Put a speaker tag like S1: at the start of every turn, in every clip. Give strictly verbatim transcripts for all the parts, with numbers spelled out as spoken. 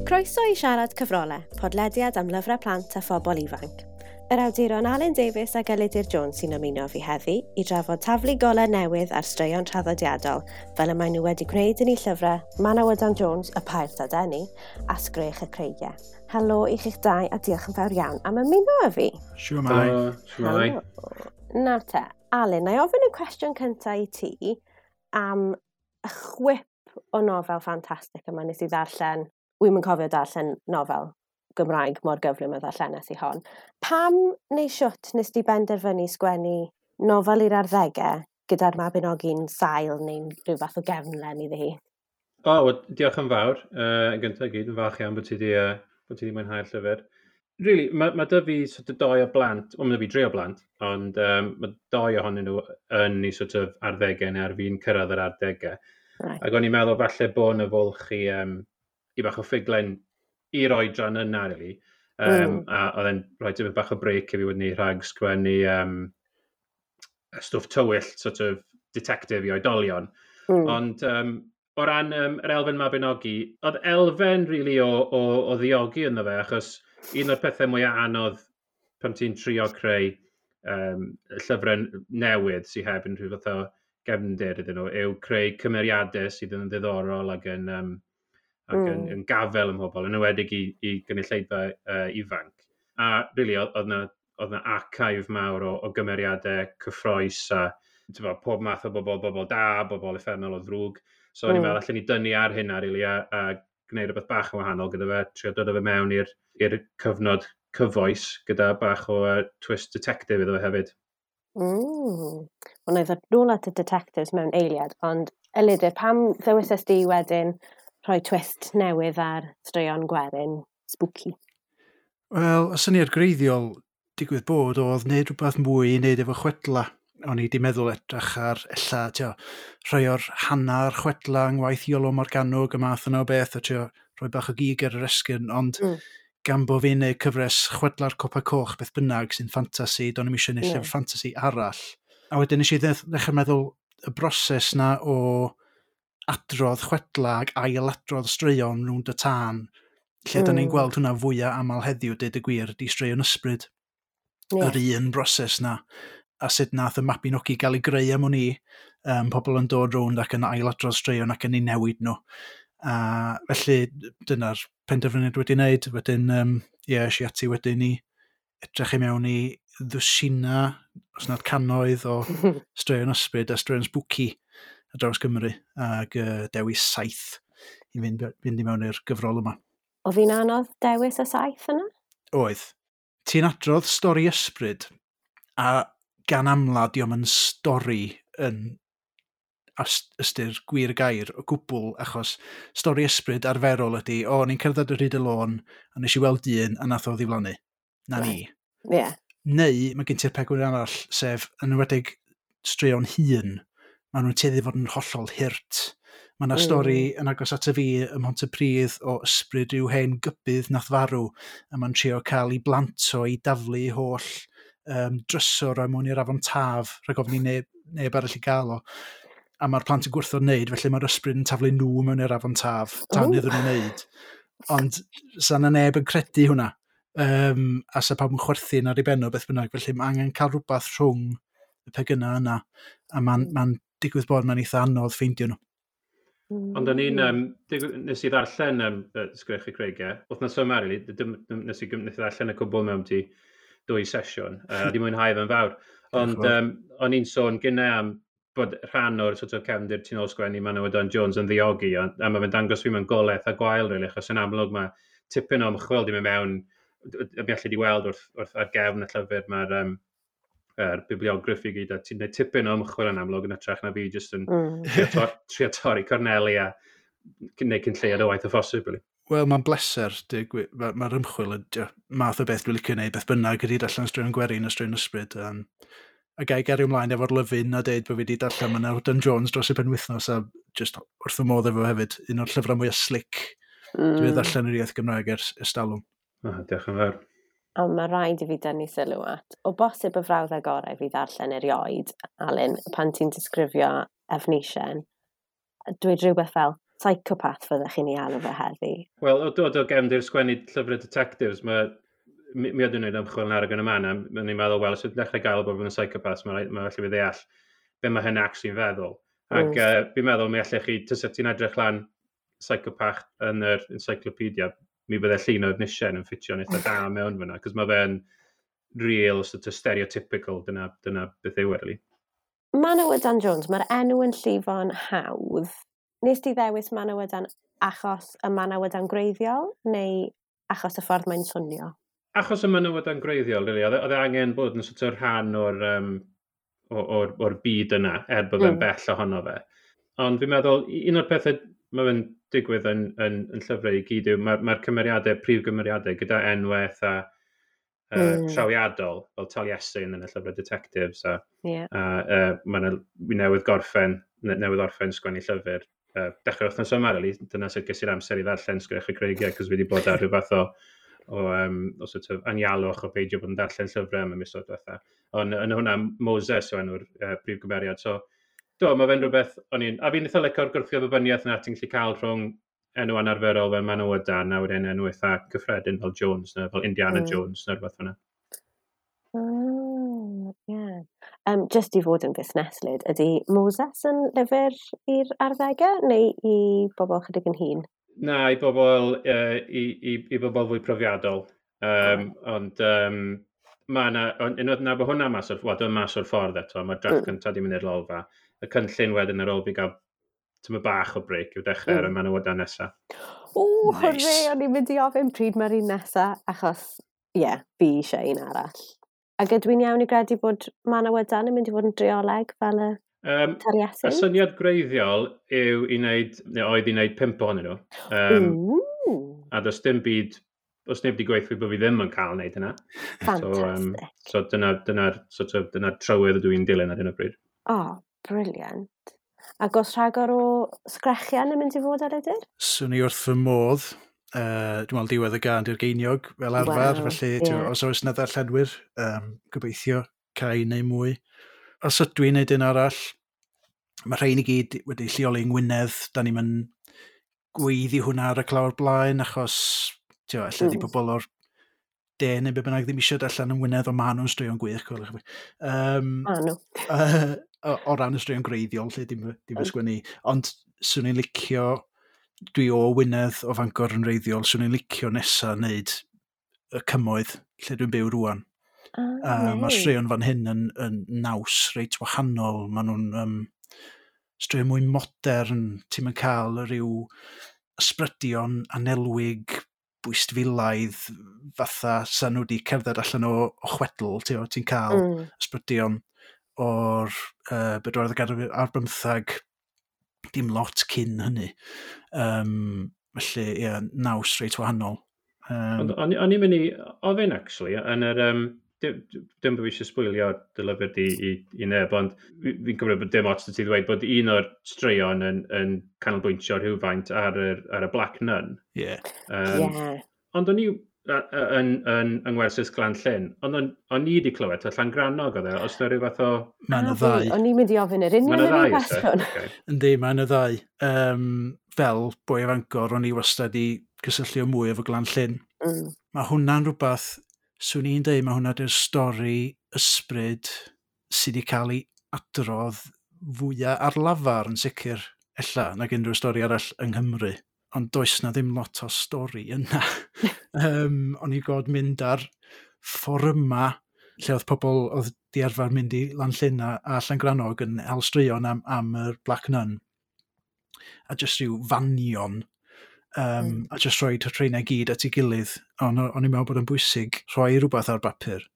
S1: Croeso i Siarad Cyfrolau, podlediad am lyfrau plant a phobl ifanc. Yr awduron Alun Davies ac Elidir Jones sy'n ymuno fi heddi i drafod taflu golau newydd ar straeon traddodiadol, fel y maen nhw wedi gwneud yn eu llyfrau Manawydan Jones, Y Pair Dadeni a Sgrech y Creigiau. Helo i chi'ch dau a diolch yn fawr iawn am ymuno â fi.
S2: Shwmae.
S3: Shwmae.
S1: Nawr te, Alun, na i ofyn y cwestiwn cyntaf i ti am y chwip o nofel ffantastig yma nes i ddarllen. Wi'm yn cofio darllen nofel Gymraeg mor gyflym a ddarllenes i hon. Pam neu siwt nes di benderfynu sgwennu nofel i'r arddegau gyda'r Mabinogi'n sail neu'n rhyw fath o gefnlen iddi hi?
S3: O, oh, well, diolch yn fawr. Uh, yn gyntaf gyd, yn falch iawn bod ti di, uh, bod ti di mwynhau'r llyfr. Really, mae ma 'da fi sort of doi o blant, wel, mae 'da fi dri o blant, ond um, mae doi ohonyn nhw yn i sort of arddegau neu ar fin cyrraedd yr arddegau.
S1: Right.
S3: Ac o'n i'n meddwl falle bod yna fwlch i, um, i bach o ffuglen i'r oedran yna, really. Um,
S1: Mm.
S3: A oedd e'n rhoi tipyn bach o break i fi wedyn ni rhag sgwennu um, stwff tywyll, sort of detective i oedolion.
S1: Mm.
S3: Ond um, o ran um, yr elfen Mabinogi, oedd elfen really o, o, o ddiogi ynddo fe, achos un o'r pethau mwyaf anodd pan ti'n trio creu um, llyfrau newydd sydd heb unrhyw fath o gefndir iddyn nhw, yw creu cymeriadau sydd yn ddiddorol ac yn, um, ac mm. yn,
S1: Mm.
S3: yn gafel ym mhobl, yn enwedig i, i gynulleidfa uh, ifanc. A really, oedd oedd 'na oedd 'na archive mawr o, o gymeriadau cyffrous a t'bo, pob math o bobl, bobl da, bobl uffernol o ddrwg. So o'n i'n
S1: Mm.
S3: meddwl allan ni dynnu ar hynna, really, a, a gwneud rhywbeth bach yn wahanol gyda fe, trio dod â fe mewn i'r i'r cyfnod cyfoes gyda bach o uh, twist detective iddo fe hefyd.
S1: Mm. Wel, na i ddod nôl at y detectives mewn eiliad, ond Elidir, pam ddewisais di wedyn rhoi twist newydd ar straeon gwerin spooky?
S2: Wel, y syniad greiddiol digwydd bod oedd wneud rhywbeth mwy i wneud efo chwedla. O'n i wedi meddwl edrych ar ella, tio, rhai o'r hannar chwedla yng ngwaith Iolo Morganwg, y math yna o beth, a tio, rhoi bach o gig ar yr esgyrn, ond
S1: Mm.
S2: gan bo fi'n neud cyfres chwedla'r Copa Coch beth bynnag sy'n ffantasi, do'n i'm eisiau neud
S1: Ie.
S2: llyfr ffantasi arall. A wedyn nes i ddech- ddechrau meddwl y broses na o adrodd chwedla ac ailadrodd straeon rownd y tân, lle mm. da ni'n
S1: Mm.
S2: gweld hwnna fwyaf aml heddiw, deud y gwir, di straeon ysbryd,
S1: Ie.
S2: yr un broses na, a sut nath y Mabinogi gael ei greu am wn i, um, pobl yn dod rownd ac yn ailadrodd straeon ac yn ei newid nhw. A felly dyna'r penderfyniad wedi wneud. Wedyn, um, ie, es i ati wedyn i edrych i mewn i ddwsina, os nad cannoedd o straeon ysbryd a straeon spooky ar draws Cymru, ac uh, dewis saith i fynd, fynd i mewn i'r gyfrol yma.
S1: Oedd hi'n anodd dewis y saith yna?
S2: Oedd. Ti'n adrodd stori ysbryd, a gan amla dio'm yn stori yn as- ystyr gwir y gair o gwbl, achos stori ysbryd arferol ydy, o, o'n i'n cerdded ar hyd y lôn, a nes i weld dyn, a nath o ddiflannu. Na ni.
S1: Ie.
S2: Neu, mae gen ti'r pegwn arall, sef yn enwedig straeon hŷn, maen nhw'n tueddu fod yn hollol hurt. Mae yna
S1: Mm.
S2: stori yn agos at y fi ym Mhontypridd o ysbryd rhyw hen gybydd nath farw, a mae'n trio cael ei blant o i daflu ei holl um, drysor o mewn i'r afon Taf, rhag ofn i neb, neb arall i gael o. A mae'r plant yn gwrthod wneud, felly mae'r ysbryd yn taflu nhw mewn i'r afon Taf, tan
S1: Ww.
S2: iddyn nhw wneud. Ond sa 'na neb yn credu hwnna. Um, a sa pawb yn chwerthin ar ei ben o beth bynnag, felly mae angen cael rhywbeth rhwng y pegynau yna, a mae'n ma digwydd bod mae'n eitha anodd ffeindio nhw.
S3: Ond o'n i'n, um, digwydd- nes i ddarllen um, Sgrech y Creigiau, wythnos yma, really, dim, dim, nes i, nes i ddarllen y cwbl mewn ti dwy sesiwn, uh, di mwynhau fe'n fawr. Ond
S2: Diolch yn fawr.
S3: um, o'n i'n sôn gynnau am bod rhan o'r sort of cefndir tu ôl sgwennu Manawydan Jones yn ddiogi, a, a mae fe'n dangos fi mewn golau eitha gwael, really, achos yn amlwg mae tipyn o ymchwil di mynd mewn, y mi allu di weld wrth, wrth ar gefn y llyfr, mae'r um, er bibliography gyd, a ti'n gwneud tipyn o ymchwil yn amlwg yn hytrach na fi jyst yn
S1: Mm.
S3: trio, tor, trio torri corneli a gwneud cyn lleiad o waith o phosib, really.
S2: Wel, mae'n bleser, mae'r ma ma'r ymchwil yn dio, math o beth dwi'n licio gwneud, beth bynnag ydy darllen straeon gwerin a straeon ysbryd. Um, a gai gario ymlaen efo'r lyfyn a deud bod fi wedi darllen Manawydan Jones dros y penwythnos a just wrth y modd efo hefyd, un o'r llyfrau mwyaf slick mm. dwi wedi darllen yr iaith Gymraeg ers ers talwm.
S3: Oh, diolch yn fawr.
S1: Ond mae rhaid i fi dynnu sylw at, o bosib y frawddeg gorau fi ddarllen erioed, Alun, pan ti'n disgrifio Efnisien, dweud rhywbeth fel, Psychopath fyddech chi'n ei alw fe heddi?
S3: Wel, o dod o gefndir sgwennu llyfrau detectives, mae mi, mi oedd yn gwneud ymchwil yn Arag yn y man, a ni'n meddwl, wel, os ydyn dechrau gael bod yn psychopath, mae'n ma felly fi ddeall be mae hynny actually'n feddwl. Ac mm. uh, fi'n meddwl, mi allech chi, tysa ti'n edrych lan psychopath yn yr encyclopedia, mi fydde llun o Efnisien yn ffitio'n eitha da mewn fyna, cos mae fe'n real, sort of stereotypical, dyna, dyna beth yw e, really.
S1: Manawydan Jones, mae'r enw yn llifo'n hawdd. Nes ti ddewis Manawydan achos y Manawydan gwreiddiol, neu achos y ffordd mae'n swnio?
S3: Achos y Manawydan gwreiddiol, really. Oedd e angen bod yn sort of rhan o'r, um, o'r, or byd yna, er bod fe'n mm. bell ohono fe. Ond fi'n meddwl, un o'r pethau mae fe'n digwydd yn, yn, yn llyfrau i gyd yw, mae'r mae cymeriadau, prif gymeriadau, gyda enwau eitha uh, mm. trawiadol, fel Taliesin yn y llyfrau detectives, a,
S1: yeah.
S3: a uh, mae'n newydd gorffen, newydd orffen sgwennu llyfr. Uh, dechrau wythnos yma, really, dyna sut ges i'r amser i ddarllen Sgrech y Creigiau, cos fi wedi bod ar rhyw fath o, o, um, o sort of anialwch o beidio bod yn darllen llyfrau am y misoedd diwetha. Ond yn hwnna, Moses yw enw'r uh, prif gymeriad. So, do, mae fe'n rhywbeth, o'n i'n, a fi'n eitha licio'r gwrthgyferbyniaeth yna ti'n gallu cael rhwng enw anarferol fel Manawydan a wedyn enw eitha cyffredin fel Jones, neu fel Indiana mm. Jones, neu rhywbeth fyna.
S1: Oh, yeah. Um, just i fod yn fusneslyd, ydy Moses yn lyfr i'r arddegau neu i bobl chydig yn hŷn?
S3: Na, i bobl, uh, i, i, i bobl fwy profiadol. Um, oh. Ond um, mae yna, unwaith na bod hwnna mas o'r, well, dwi'n mas o'r ffordd eto, mae'r drafft mm. cyntaf di mynd i'r lolfa. Y cynllun wedyn ar ôl fi gael tyma bach o break yw dechrau mm. ar y Manawydan nesaf.
S1: O, nice. Hwrê, o'n i'n mynd i ofyn pryd mae'r un nesaf, achos, ie, yeah, fi eisiau un arall. Ac ydw i'n iawn i gredu bod Manawydan yn mynd i fod yn drioleg fel y um, Taliesin?
S3: Y syniad gwreiddiol yw i wneud, neu oedd i wneud pump ohonyn nhw. Um, a does dim byd, os neb wedi gweithio bod fi ddim yn cael wneud hynna.
S1: Fantastic.
S3: So, um, so dyna, dyna, sort of, dyna trywydd ydw i'n dilyn ar hyn o bryd.
S1: Oh, brilliant. Ac os rhagor o sgrechian yn mynd i fod ar ydyr?
S2: Swn i wrth fy modd. Uh, dwi'n meddwl diwedd y gân di'r geiniog fel arfer, wow, felly yeah. Os oes yna ddarllenwyr, um, gobeithio cael neu mwy. Os ydw i'n neud un arall, mae rhain i gyd wedi lleoli yng Ngwynedd, da ni'n mynd gweiddi hwnna ar y clawr blaen, achos tio, ella mm. di pobl o'r de neu be bynnag ddim eisiau allan yng Ngwynedd, ond maen nhw'n straeon gwych, coelwch fi. Um,
S1: ma nhw.
S2: uh, o, o ran y straeon gwreiddiol, lle dim, dim mm. sgwennu. Ond swn i'n licio, dwi o Wynedd o Fangor yn wreiddiol, swn i'n licio nesa wneud y cymoedd lle dwi'n byw rwan.
S1: Ah,
S2: uh, Mae'r straeon fan hyn yn, yn naws reit wahanol. Maen nhw'n um, straeon mwy modern, ti'n mynd cael rhyw ysbrydion anelwig, bwystfilaidd, fatha sa nhw wedi cerdded allan o, o chwedl, ti'n ti cael
S1: mm.
S2: ysbrydion o'r uh, bedwaredd ganrif ar bymthag, dim lot cyn hynny. Um, felly, ie, yeah, naws reit wahanol. Um,
S3: Ond o'n i'n mynd i ofyn, actually, yn yr... Um, dim, dim bod fi eisiau sbwylio dy lyfr di i, i neb, ond fi'n cymryd bod dim ots ti ddweud bod un o'r straeon yn, yn canolbwyntio rhywfaint ar, yr, ar y Black Nun.
S2: Yeah.
S3: Um,
S1: yeah.
S3: Ond o'n i yn, yn, yng Ngwersyll Glan Llyn, ond o'n, o'n i wedi clywed, Llangrannog oedd e, os yna rhyw fath o...
S2: Mae yna ddau.
S1: O'n i'n mynd i ofyn yr union yr un cwestiwn.
S3: Okay.
S2: Yndi, mae yna ddau. Um, fel boi o Fangor, o'n i wastad i gysylltu o mwy efo Glan Llyn.
S1: Mm.
S2: Mae hwnna'n rhywbeth, swn i'n deud, mae hwnna di'r stori ysbryd sydd wedi cael ei adrodd fwyaf ar lafar yn sicr, ella, nag unrhyw stori arall yng Nghymru. Ond does na ddim lot o stori yna. um, o'n i god mynd ar fforyma lle oedd pobl oedd di arfer mynd i Lanllyn a, a Llangrannog yn hel straeon am, am yr Black Nun. A jyst rhyw fanion. Um, mm. A jyst rhoi rheina i gyd at ei gilydd. Ond o'n i'n meddwl bod yn bwysig rhoi rhywbeth ar bapur.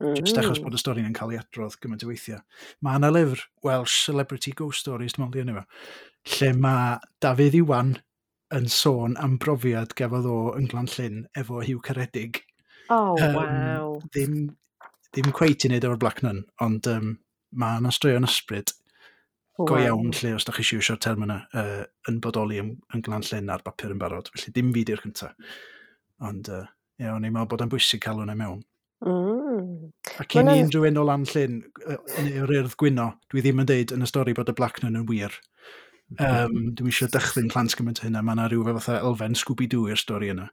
S2: Mm. Jyst achos bod y stori yn cael ei adrodd gymaint o weithiau. Mae yna lyfr Welsh Celebrity Ghost Stories, dwi'n meddwl di enw fo, lle mae Dafydd Iwan yn sôn am brofiad gafodd o yn Glan Llyn efo Huw Caredig.
S1: Oh,
S2: um,
S1: wow.
S2: Ddim, ddim cweit i wneud efo'r Black Nun, ond um, mae yna straeon ysbryd
S1: wow.
S2: go iawn lle, os da chi eisiau iwsio'r term yna, uh, yn bodoli yn, yn Glan Llyn ar bapur yn barod. Felly dim fi di'r cyntaf. Ond uh, ie, o'n i'n meddwl bod yn bwysig cael hwnna mewn.
S1: Mm.
S2: A cyn i unrhyw un o Lan Llyn, neu o'r Urdd Gwyno, dwi ddim yn deud yn y stori bod y Black Nun yn wir. Um, dwi'm eisiau dychryn plant gymaint o hynna. Mae yna rhyw fatha elfen Scooby-Doo i'r stori yna.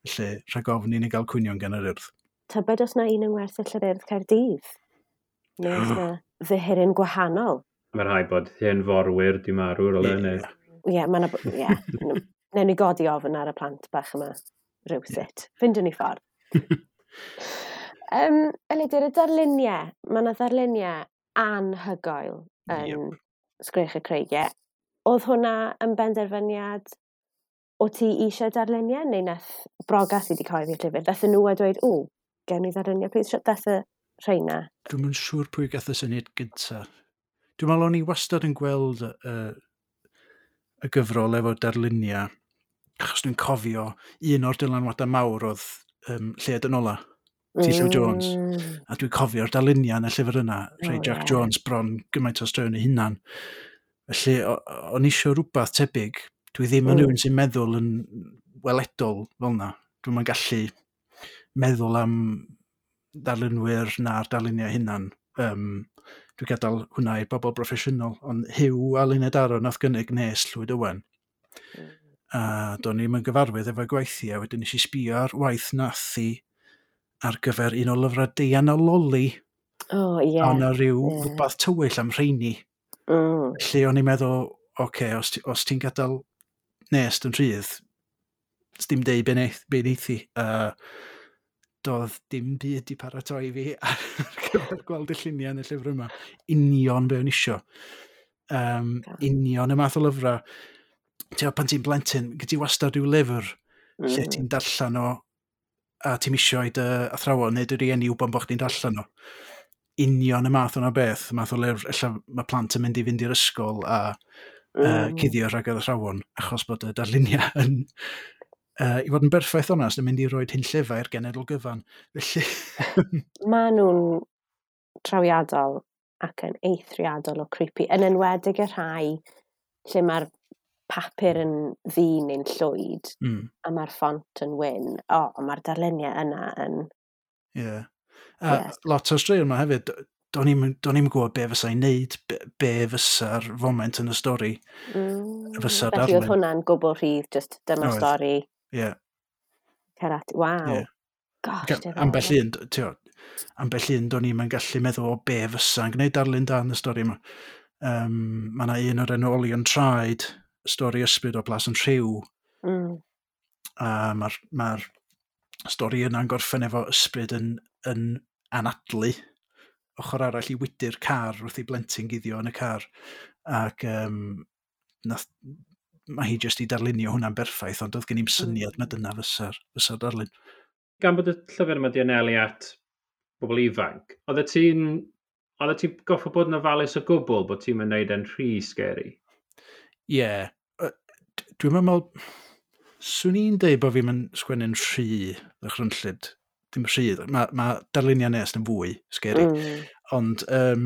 S2: Felly, rhag ofn i ni gael cwynion gan yr Urdd.
S1: Tybed os na un yng Ngwersyll yr Urdd Caerdydd? Neu os na ddihiryn gwahanol?
S3: Mae rhaid bod hen forwyr di marw ar ôl hynny.
S1: Ie, mae yna... Ie. Newn ni godi ofn ar y plant bach yma rhywsut. Ffindiwn ni ffordd. um, Elidir, y darluniau. Mae yna ddarluniau anhygoel yn yep. Sgrech y Creigiau. Oedd hwnna yn benderfyniad o ti eisiau darluniau, neu nath Broga sydd wedi cyhoeddi'r llyfr, dath nhw a dweud, o, gewn ni ddarluniau, please, sut dath y rheina?
S2: Dwi'm yn siŵr pwy gath y syniad gynta. Dwi'n meddwl o'n i wastad yn gweld y, y gyfrol efo darluniau, achos dwi'n cofio un o'r dylanwadau mawr oedd um, Lleuad yn Ola, T. Llew Jones.
S1: Mm.
S2: A dwi'n cofio'r darluniau yn y llyfr yna, rhai
S1: Oh,
S2: Jack
S1: ie.
S2: Jones bron gymaint o straeon ei hunan. Felly, o- o'n i isio rhywbeth tebyg. Dwi ddim yn
S1: Mm.
S2: rhywun sy'n meddwl yn weledol fel yna. Dwi'm yn gallu meddwl am darlunwyr na'r darluniau hunan. Um, dwi'n gadael hwnna i bobl broffesiynol, ond Huw a Luned Aaron nath gynnig Nes Llwyd Owen.
S1: Mm.
S2: A do'n i'm yn gyfarwydd efo'i gwaith hi, a wedyn nes i sbio ar waith nath hi ar gyfer un o lyfrau Deian a Loli.
S1: O, ie.
S2: A o'na rhyw
S1: ie.
S2: rhywbeth tywyll am rheini.
S1: Mm.
S2: Felly o'n i'n meddwl, oce, okay, os, ti- os ti'n gadael Nest yn rhydd, dim deud be neith, be neith hi. Uh, doedd dim byd i paratoi fi ar gyfer gweld y lluniau yn y llyfr yma. Union be o'n isio. Um,
S1: God.
S2: union y math o lyfrau. Ti'n pan ti'n blentyn, gyd ti wastad rhyw lyfr mm. lle
S1: Mm.
S2: ti'n darllen o a ti'n isio i dy athrawon neu dy rieni wybod bod chdi'n darllen o. Union y math o'na beth, y math o lyfr, ella mae plant yn mynd i fynd i'r ysgol a mm. uh,
S1: Mm.
S2: cuddio rhag yr athrawon, achos bod y darluniau yn, uh, i fod yn berffaith onast, yn mynd i roed hunllefau i'r genedl gyfan. Felly,
S1: Maen nhw'n trawiadol ac yn eithriadol o creepy, yn enwedig y rhai lle mae'r papur yn ddu neu'n llwyd
S2: mm,
S1: a mae'r ffont yn wyn. O, oh, mae'r darluniau yna yn...
S2: yeah. A
S1: Yes.
S2: lot o'r straeon yma hefyd, do'n i'm do'n i'm yn gwybod be fysa'n neud, be, be fysa'r foment yn y stori.
S1: Mm.
S2: Fysa'r
S1: Felly oedd
S2: darlun.
S1: hwnna'n gwbl rhydd, just dyma'r
S2: Oedd.
S1: stori.
S2: Ie.
S1: Cer at... Waw.
S2: Ie.
S1: Gosh,
S2: Ga-
S1: diddorol.
S2: Ambell un, t'o, ambell un do'n i'm yn gallu meddwl o be fysa'n gwneud darlun da yn y stori yma. Um, mae yna un o'r enw Olion Traed, stori ysbryd o Blas yn Rhyw,
S1: Mm.
S2: a mae'r ma stori yna'n gorffen efo ysbryd yn, yn anadlu ochr arall i wydyr car wrth i blentyn guddio yn y car. Ac um, nath, mae hi jyst i darlunio hwnna'n berffaith, ond oedd gen i'm syniad mm. na dyna fysa'r fysa darlun.
S3: Gan bod y llyfr yma di anelu at bobl ifanc, oedd ti'n oedd ti'n goffo bod yn ofalus o gwbl bod ti'n mynd neud e'n rhy scary?
S2: Ie. Yeah. Dwi'n meddwl, swn i'n deud bod fi'n mynd sgwennu'n rhy ddychrynllyd. Dim rhy, mae ma darluniau Nest yn fwy scary.
S1: Mm.
S2: Ond um,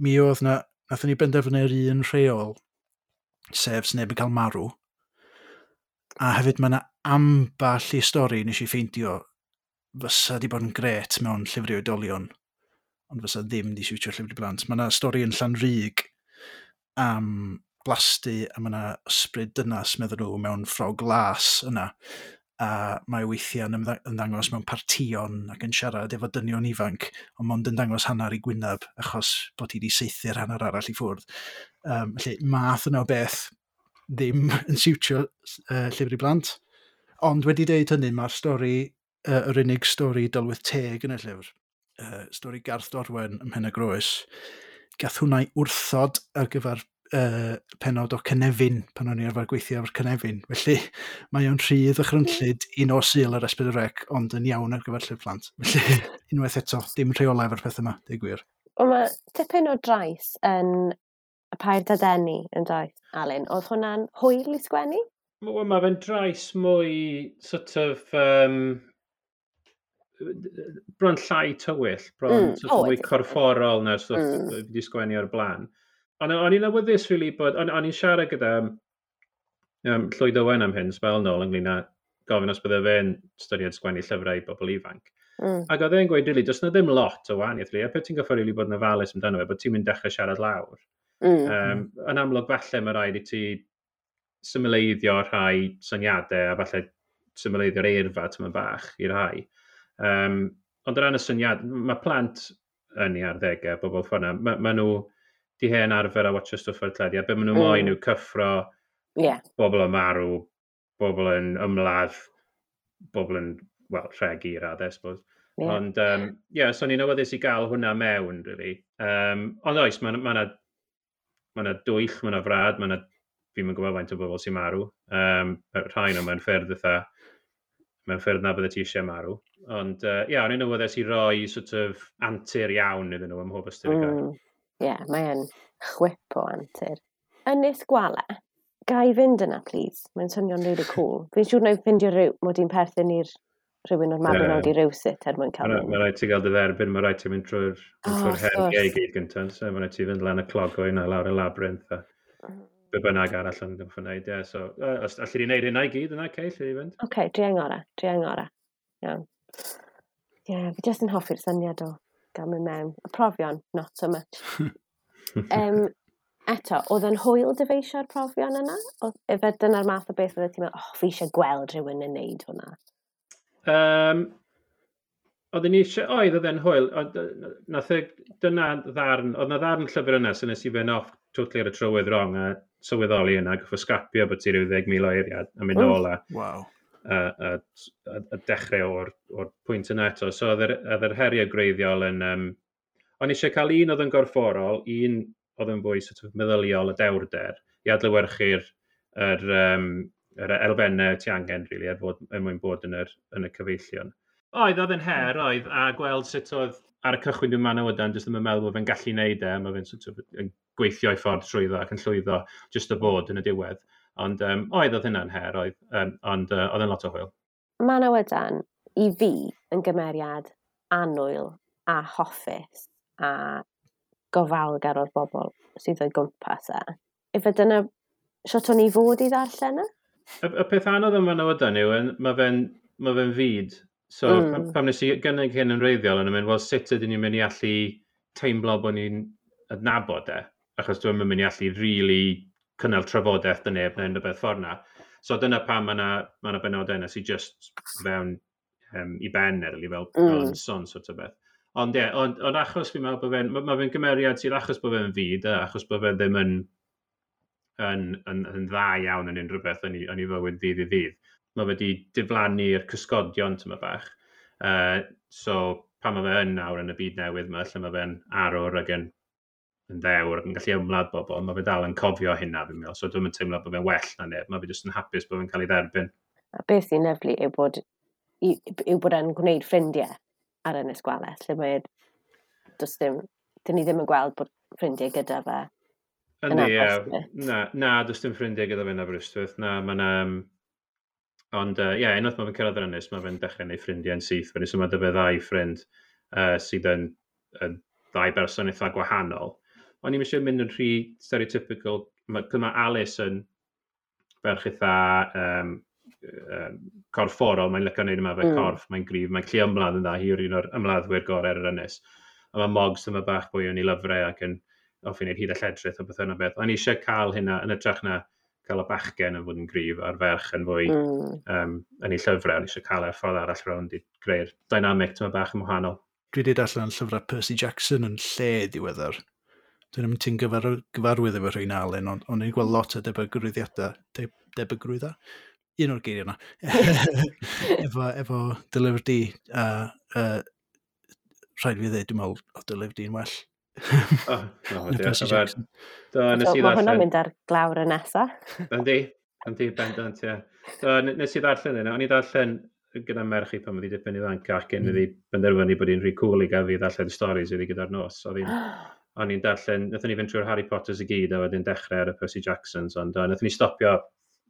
S2: mi oedd na, nathon ni benderfynu'r un rheol, sef sneb yn cael marw. A hefyd mae yna ambell i stori nes i ffeindio fysa di bod yn gret mewn llyfr i oedolion, ond fysa ddim di siwtio llyfr i blant. Mae yna stori yn Llanrug am blasty a mae yna ysbryd dynas, meddyn nhw, mewn ffrog las yna. A mae weithiau yn ymdda- ymddangos mewn partïon ac yn siarad efo dynion ifanc, ond mond yn dangos hanner i gwyneb achos bod hi wedi saethu'r hanner arall i ffwrdd. Um, felly, math yna o beth ddim yn siwtio uh, llyfr i blant. Ond wedi deud hynny, mae'r stori, uh, yr unig stori dylwyth teg yn y llyfr, uh, stori Garth Dorwen ym Mhen y Groes, gath hwnna i wrthod ar gyfer uh, penod o Cynefin, pan o'n i arfer gweithio efo'r Cynefin. Felly mae o'n rhy ddychrynllyd i nos Sul ar S pedwar C, ond yn iawn ar gyfer llyfr plant. Felly, unwaith eto, dim rheolau efo'r peth yma, deud gwir.
S1: Wel, mae tipyn o drais yn y Pair Dadeni yn doedd, Alun. Oedd hwnna'n hwyl i sgwennu?
S3: Wel, mae fe'n drais mwy sort of um, bron llai tywyll, bron
S1: Mm,
S3: mm. sort
S1: o,
S3: of mwy
S1: ydi.
S3: corfforol na'r stwff
S1: Mm.
S3: mm. fi wedi sgwennu o'r blaen. Ond o'n i'n awyddus really bod, o'n o'n i'n siarad gyda um, Llwyd Owen am hyn sbel nôl ynglyn â gofyn os bydde fe'n styried sgwennu llyfrau i bobl ifanc.
S1: Mm.
S3: Ac oedd e'n gweud, really, does na ddim lot o wahaniaeth, really. A peth ti'n goffo really bod yn ofalus amdano fe, bod ti'n mynd dechrau siarad lawr.
S1: Mm.
S3: Um, yn amlwg falle mae rhaid i ti symleiddio rhai syniadau a falle symleiddio'r eirfa tyma bach i rhai. Um, ond o ran y syniad, mae plant yn ei arddegau, bobl ffordd yna, mae ma nhw di hen arfer a watcho stwff ar teledu, a be maen nhw mm. moyn yw cyffro,
S1: yeah.
S3: bobl yn marw, bobl yn ymladd, bobl yn, wel, rhegi i raddau, I suppose.
S1: Yeah.
S3: Ond, um, yeah, so ni'n awyddus i gael hwnna mewn, really. Um, ond oes, mae yna ma ma dwyll, mae yna frad, mae yna, fi'n yn gwybod faint o bobl sy'n marw. Um, rhai nhw mewn ffyrdd eitha, mewn ffyrdd na bydde ti eisiau marw. Ond, ie, uh, yeah, o'n i'n awyddus i roi sort of antur iawn iddyn nhw ym mhob ystyr y gair.
S1: Mm. Ie, yeah, mae e'n chwip o antur. Ynys Gwale, ga i fynd yna, please? Mae'n swnio'n really cool. Fi'n siŵr na i ffindio rhyw, mod i'n perthyn i'r rhywun o'r Mabinogi yeah. rywsut er mwyn cael
S3: mynd. Mae rhaid ti gael dy dderbyn, mae rhaid ti mynd trwy'r oh, trwy heriau i gyd gyntaf. So mae rhaid ti fynd lan y clogoen a lawr y labyrinth a be bynnag arall yn gorfod wneud. Yeah. So, uh, os allu di wneud hynna i gyd yna, okay, lle i fynd.
S1: Oce, okay, dwi angora, dwi angora. Iawn. Ie, yeah, fi jyst yn hoffi'r syniad o gael mynd mewn. Y profion, not so much. um, eto, oedd yn hwyl dyfeisio'r profion yna? Oedd, efe dyna'r math o beth fydde ti'n meddwl, oh, fi eisiau gweld rhywun yn neud hwnna?
S3: Um, Oedden ni eisiau, oedd oedd e'n hwyl, oedd, nath e, dyna ddarn, oedd na ddarn llyfr yna, so nes i fynd off totally ar y trywydd wrong a sylweddoli yna, goffo scrapio bod ti ryw ddeg mil o eiriad a mynd nôl a,
S2: wow.
S3: a, a, a, a dechrau o'r, or pwynt yna eto. So oedd yr, oedd yr heriau gwreiddiol yn... Um, o'n eisiau cael un oedd yn gorfforol, un oedd yn fwy sort of meddyliol a dewrder, i adlewyrchu'r yr, um, yr elfennau ti angen, really, er, fod, er mwyn bod yn, yr, yn y cyfeillion. Oedd, oedd yn her, oedd, a gweld sut oedd ar y cychwyn dwi'n Manawydan, jyst ddim yn meddwl bod fe'n gallu neud e, mae fe'n sort of yn gweithio i ffordd trwyddo ac yn llwyddo jyst o bod yn y diwedd. Ond um, oedd, oedd hynna'n her, oedd, um, ond uh, oedd yn lot o hwyl.
S1: Manawydan, i fi, yn gymeriad annwyl a hoffus a gofalgar o'r bobl sydd o'i gwmpas e. Ife dyna shwt o'n i fod i ddarllen e?
S3: Y, y peth anodd yma Manawydan yw, mae fe'n ma fe fyd. So, mm. pam, pam nes i gynnig hyn yn wreiddiol, yn mynd, wel, sut ydyn ni'n mynd i allu teimlo bod ni'n adnabod e? Achos dwi'n mynd i allu really cynnal trafodaeth dy neb neu unrhyw beth ffordd na. So dyna pam mae yna ma na benodau yna sy'n just fewn um, i ben erly, fel, mm. fel ymson sort o beth. Ond ie, yeah, ond, ond achos fi'n meddwl bod fe'n, mae ma fe'n gymeriad sydd achos bod fe'n fyd, achos bod fe ddim yn, yn, yn, yn dda iawn yn unrhyw beth yn ei, yn ei fywyd ddydd i ddydd. Mae fe wedi diflannu'r cysgodion tyma bach. Uh, so pan mae fe yn nawr yn y byd newydd yma, lle mae fe'n arwr ac yn, yn ddewr ac yn gallu ymladd bobl, mae fe dal yn cofio hynna, fi'n meddwl. So dwi'n teimlo bod fe'n well na neb, mae fe jyst yn hapus bod fe'n cael ei dderbyn.
S1: A beth sy'n lyfli yw bod, yw bod e'n gwneud ffrindiau ar Ynys Gwales, lle mae, does dim, dyn ni ddim yn gweld bod ffrindiau gyda fe.
S3: Yndi, ie. Na, na, does dim ffrindiau gyda fe yn Aberystwyth. Na, mae'n... Um, ond, ie, uh, yeah, unwaith mae fe'n cyrraedd yr ynys, mae fe'n dechrau gwneud ffrindiau yn syth. Wedyn, so mae 'da fe ddau ffrind uh, sydd yn, yn ddau berson eitha gwahanol. O'n i'm eisiau mynd yn rhy stereotypical. Mae, ma Alice yn ferch eitha um, um, corfforol, mae'n licio wneud yma fe mm. corff, mae'n gryf, mae'n gallu ymladd yn dda, hi yw'r un o'r ymladdwyr gorau ar yr ynys. A mae Moggs yma bach fwy yn ei lyfrau ac yn hoffi wneud hyd a lledrith o beth yna beth. O'n i eisiau cael hynna yn hytrach na cael y bachgen yn fod yn gryf a'r ferch yn fwy mm. um, yn ei llyfrau. O'n i eisiau cael e'r ffordd arall rownd i greu'r dynamic tyma bach yn wahanol.
S2: Dwi wedi darllen llyfrau Percy Jackson yn lle diweddar. Dwi'n mynd ti'n gyfar, gyfarwydd efo rhain Alun, ond o'n i'n gweld lot o debygrwyddiadau, de, debygrwydda? Un o'r geiriau yna. efo, efo dy lyfr di, a uh, rhaid fi ddweud, dwi'n meddwl, o dy lyfr di'n well.
S3: Oh, no, Percy Jackson. Do, nes
S1: so,
S3: i
S1: mae
S3: ddarllen...
S1: hwnna'n mynd ar glawr y nesa.
S3: Yndi, yndi, bendant, ie. Do, nes i ddarllen yna. O'n i ddarllen gyda merch i pan oedd hi dipyn ifancach cyn iddi benderfynu bod hi'n rhy cool i gael fi ddarllen stories iddi gyda'r nos. Oedd hi'n o'n i'n darllen, wnaethon ni fynd trwy'r Harry Potters i gyd a wedyn dechrau ar y Percy Jacksons, ond uh, wnaethon ni stopio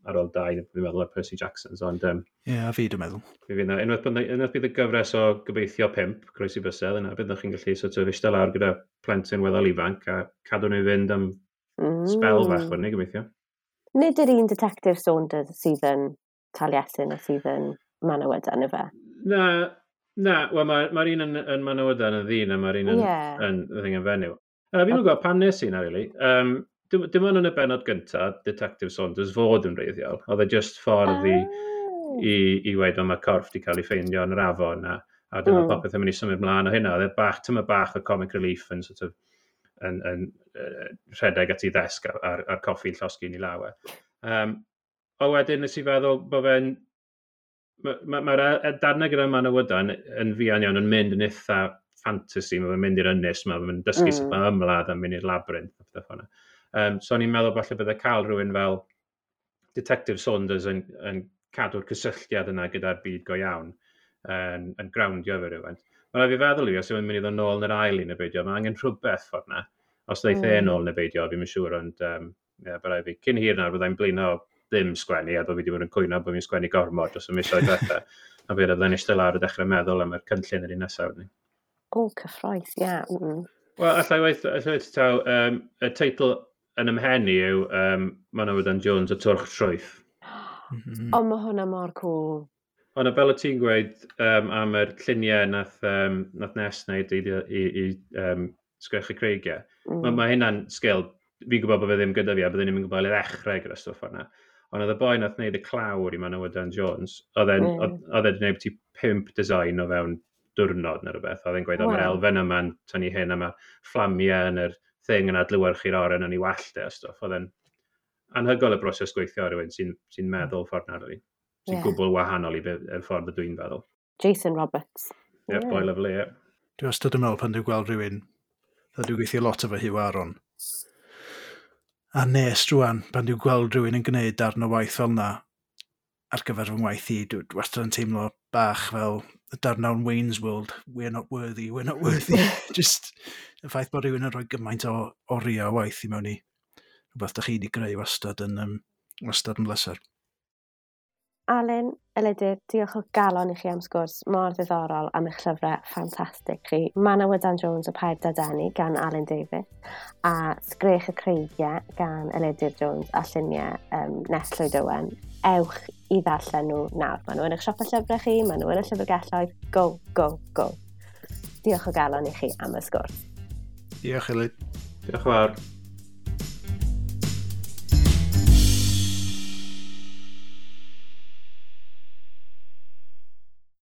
S3: ar ôl dau, fi'n meddwl, ar Percy Jacksons, ond... Um,
S2: Ie, yeah, a fi dwi'n meddwl.
S3: Fi fydd, unwaith, unwaith bydd y gyfres o gobeithio pump, croesi bysedd, yna byddwch chi'n gallu sort of eistedd lawr gyda plentyn weddol ifanc a cadw nhw i fynd am mm. spel fach wedyn ni, gobeithio.
S1: Nid yr un Detective Saunders sydd yn Taliesin a sydd yn Manawydan, ife?
S3: Na, na, wel mae'r ma un yn, yn Manawydan yn ddyn a mae'r un yn,
S1: yeah.
S3: yn, yn, yn fenyw. Uh, fi'n gwybod pam nes i na, really. Um, dim, dim ond yn y benod gyntaf, Detective Saunders fod yn wreiddiol. Oedd e just ffordd i,
S1: Oh.
S3: i, i weud, o, mae corff di cael ei ffeindio yn yr afon, a, a dyma
S1: Mm.
S3: popeth yn mynd i symud mlaen o hynna. Oedd e bach, tyma bach o comic relief yn sort of, yn, yn, uh, rhedeg at ei ddesg a'r, a'r, a'r coffi'n llosgi yn ei law e. Um, o wedyn nes i feddwl bod fe'n... Mae'r ma, ma, ma darnau gyda Manawydan yn fuan iawn yn mynd yn eitha fantasy, mae fe'n mynd i'r ynys, mae fe'n dysgu mm. sut
S1: Mm.
S3: mae ymladd a mynd i'r labyrinth a pethau fel yna. Um, so o'n i'n meddwl falle bydde cael rhywun fel Detective Saunders yn, yn cadw'r cysylltiad yna gyda'r byd go iawn, yn, yn groundio fe rhywun. Mae'n rhaid fi feddwl i fi, os yw'n mynd i ddod nôl yn yr ail un neu beidio, mae angen rhywbeth ffordd na. Os ddeith e
S1: Mm.
S3: nôl neu beidio, fi'n siŵr, ond um, yeah, bydd rhaid fi. Cyn hir nawr, byddai'n blino ddim sgwennu, a bod fi wedi bod yn cwyno bod fi'n sgwennu gormod dros y misoedd diwetha. A fi byddai'n eistedd lawr a dechrau meddwl am yr cynllun yr un nesaf. Ni.
S1: O, cyffrous, ie. Yeah. Mm.
S3: Wel, allai weith, allai weith taw, um, y teitl yn ymhen i yw um, Manawydan Jones y Twrch Trwyth.
S2: Mm.
S1: O, mae hwnna mor cool.
S3: Ond fel o ti'n gweud um, am yr lluniau nath, um, nath Nes wneud i, i, i um, Sgrech y Creigiau, mm.
S1: Mm.
S3: mae ma hynna'n sgil, fi'n gwybod bod fe ddim gyda fi a byddwn ni'n gwybod i ddechrau gyda stwff o'na. Ond oedd y boi nath wneud y clawr i Manawydan Jones, oedd e'n
S1: Mm.
S3: oedd oedd e wedi gwneud ti pump design o fewn diwrnod neu rhywbeth. Oedd e'n gweud, o, mae'r
S1: Wow.
S3: elfen yma'n tynnu hyn, a mae'r fflamiau yn yr thing yn adlewyrchu'r oren yn ei wallt e a stwff. Oedd e'n anhygoel y broses gweithio ar rhywun sy'n sy meddwl ffordd na, really. Sy'n
S1: Ie.
S3: gwbl wahanol i be, y ffordd y dwi'n feddwl.
S1: Jason Roberts.
S3: Ie, yeah,
S1: Ie.
S3: boi lovely, ie.
S2: Dwi wastad yn meddwl pan dwi'n gweld rhywun, dda dwi'n gweithio lot efo Huw Aaron. A nes rwan, pan dwi'n gweld rhywun yn gwneud darn o waith fel yna, ar gyfer fy ngwaith i, dwi dwi wastad yn teimlo bach fel y darn o'n Wayne's World, we're not worthy, we're not worthy. Just y ffaith bod rhywun yn rhoi gymaint o oriau o waith i mewn i rhywbeth da chi wedi greu wastad yn, um, wastad yn bleser.
S1: Alun, Elidir, diolch o galon i chi am sgwrs mor ddiddorol am eich llyfrau ffantastig chi. Manawydan Jones y Pair Dadeni gan Alun Davies a Sgrech y Creigiau gan Elidir Jones a lluniau um, Nest Llwyd Owen. Ewch i ddarllen nhw nawr. Maen nhw yn eich siopau llyfrau chi, maen nhw yn y llyfrgelloedd. Go, go, go. Diolch o galon i chi am y sgwrs.
S2: Diolch, Elid.
S3: Diolch yn fawr.